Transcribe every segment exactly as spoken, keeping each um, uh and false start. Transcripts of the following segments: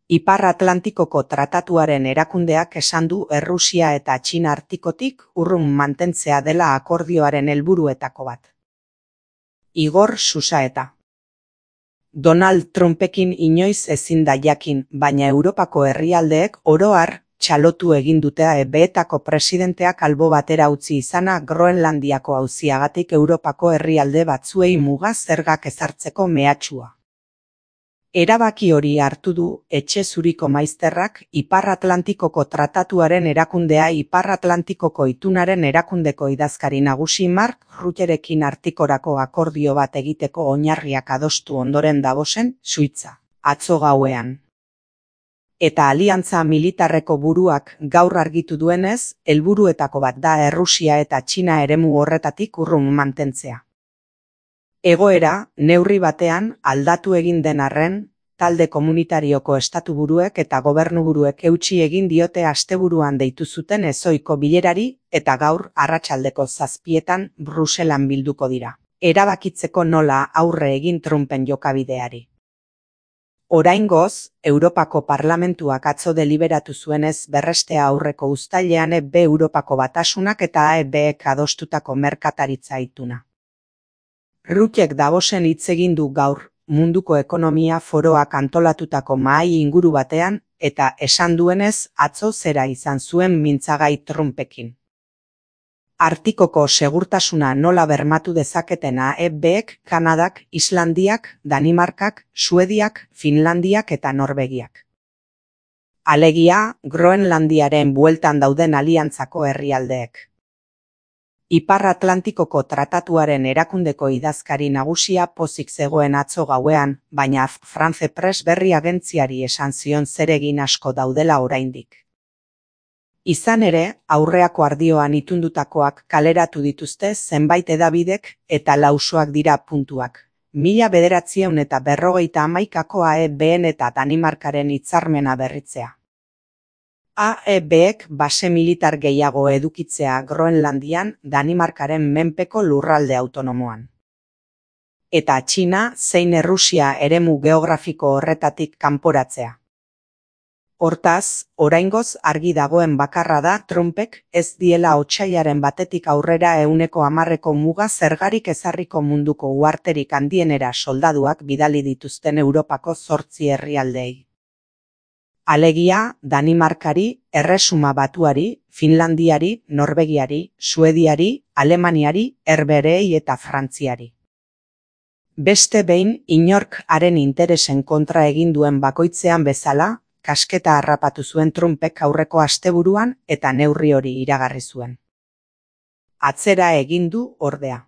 Ipar Atlantikoko Tratatuaren erakundeak esan du Errusia eta Txina artikotik urrun mantentzea dela akordioaren helburuetako bat. Igor Susaeta. Donald Trumpekin inoiz ezin da jakin, baina Europako herrialdeek oro har txalotu egin dute E B-etako presidenteak albo batera utzi izana Groenlandiako auziagatik Europako herrialde batzuei muga zergak ezartzeko mehatxua. Erabaki hori hartu du Etxe Zuriko maizterrak Ipar Atlantikoko Tratatuaren erakundea Ipar Atlantikoko Itunaren erakundeko idazkari nagusi Mark Rutterekin artikorako akordio bat egiteko oinarriak adostu ondoren Davosen, Suitza, atzo gauean. Eta aliantza militarreko buruak gaur argitu duenez, helburuetako bat da Errusia eta Txina eremu horretatik urrun mantentzea. Egoera, neurri batean, aldatu egin den arren, talde komunitarioko estatuburuek eta gobernuburuek eutsi egin diote asteburuan deitu zuten ezohiko bilerari eta gaur arratsaldeko zazpietan Bruselan bilduko dira. Erabakitzeko nola aurre egin Trumpen jokabideari. Oraingoz, Europako Parlamentuak atzo deliberatu zuenez berrestea aurreko uztailean E B Europako Batasunak eta E B-ek adostutako merkataritza ituna. Ruttek Davosen hitz egin du gaur, munduko ekonomia foroak antolatutako mahai inguru batean, eta esan duenez atzo zera izan zuen mintzagai Trumpekin. Artikoko segurtasuna nola bermatu dezaketena E B-ek, Kanadak, Islandiak, Danimarkak, Suediak, Finlandiak eta Norvegiak. Alegia, Groenlandiaren bueltan dauden aliantzako herrialdeek. Ipar Atlantikoko Tratatuaren erakundeko idazkari nagusia pozik zegoen atzo gauean, baina France Press berri agentziari esan zion zeregin asko daudela oraindik. Izan ere, aurreako ardioan itundutakoak kaleratu dituzte zenbait hedabidek eta lausoak dira puntuak. Mila bederatziehun eta berrogeita hamaikakoa E B-en eta Danimarkaren hitzarmena berritzea. A E B-ek base militar gehiago edukitzea Groenlandian, Danimarkaren menpeko lurralde autonomoan. Eta Txina zein Errusia eremu geografiko horretatik kanporatzea. Hortaz, oraingoz argi dagoen bakarra da Trumpek ez diela otsailaren batetik aurrera ehuneko hamarreko muga zergarik ezarriko munduko uharterik handienera soldaduak bidali dituzten Europako zortzi herrialdeei. Alegia, Danimarkari, Erresuma Batuari, Finlandiari, Norvegiari, Suediari, Alemaniari, Herbeherei eta Frantziari. Beste behin, inork haren interesen kontra egin duen bakoitzean bezala, kasketa harrapatu zuen Trumpek aurreko asteburuan eta neurri hori iragarri zuen. Atzera egin du ordea.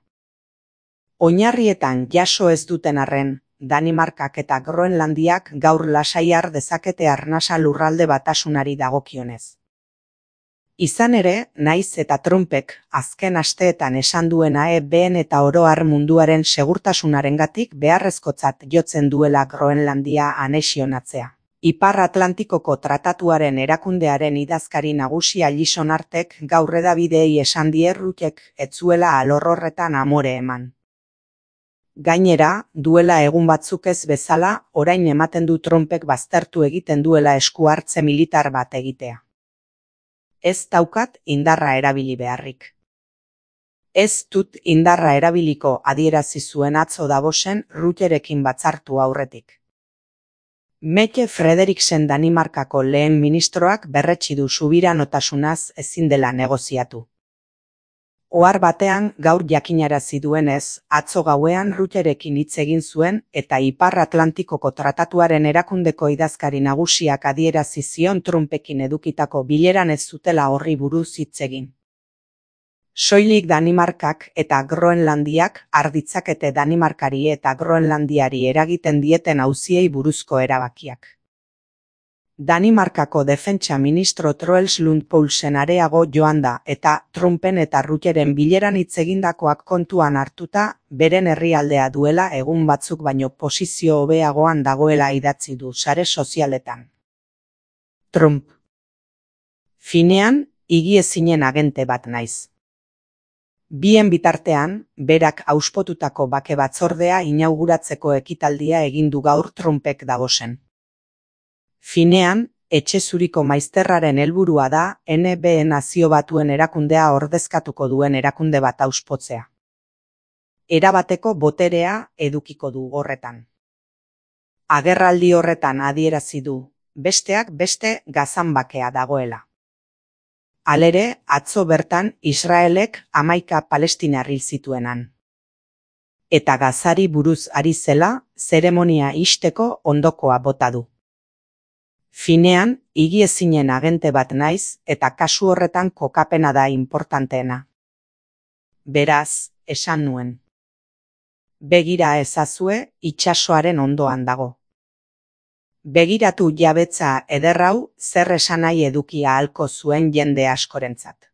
Oinarrietan jaso ez duten arren, Danimarkak eta Groenlandiak gaur lasai har dezakete arnasa lurralde batasunari dagokionez. Izan ere, naiz eta Trumpek azken asteetan esan duena E B-en eta oro har munduaren segurtasunarengatik beharrezkotzat jotzen duela Groenlandia anexionatzea. Ipar Atlantikoko Tratatuaren erakundearen idazkari nagusi Alison Artek gaur hedabideei esan die Ruttek ez zuela alor horretan amore eman. Gainera, duela egun batzuk ez bezala, orain ematen du Trumpek baztertu egiten duela esku hartze militar bat egitea. Ez daukat indarra erabili beharrik. Ez dut indarra erabiliko adierazi zuen atzo Davosen Rutterekin batzartu aurretik. Mette Frederiksen Danimarkako lehen ministroak berretsi du subiranotasunaz ezin dela negoziatu. Ohar batean gaur jakinarazi duenez, atzo gauean Rutterekin hitz egin zuen eta Ipar Atlantikoko Tratatuaren erakundeko idazkari nagusiak adierazi zion Trumpekin edukitako bileran ez zutela horri buruz hitz egin. Soilik Danimarkak eta Groenlandiak har ditzakete Danimarkari eta Groenlandiari eragiten dieten auziei buruzko erabakiak. Danimarkako defentsa ministro Troels Lund Poulsen areago joan da eta Trumpen eta Rutteren bileran hitz egindakoak kontuan hartuta beren herrialdea duela egun batzuk baino posizio hobeagoan dagoela idatzi du sare sozialetan. Trump. Finean, higiezinen agente bat naiz. Bien bitartean, berak auspotutako bake batzordea inauguratzeko ekitaldia egin du gaur Trumpek Davosen. Finean, etxe zuriko maizterraren helburua da N B E Nazio Batuen erakundea ordezkatuko duen erakunde bat auspotzea. Erabateko boterea edukiko du horretan. Agerraldi horretan adierazi du, besteak beste Gazan bakea dagoela. Halere, atzo bertan Israelek hamaika palestinar hil zituenan. Eta Gazari buruz ari zela, zeremonia ixteko ondokoa bota du. Finean, higiezinen agente bat naiz eta kasu horretan kokapena da inportanteena. Beraz, esan nuen. Begira ezazue, itsasoaren ondoan dago. Begiratu jabetza eder hau zer esanai eduki ahalko zuen jende askorentzat.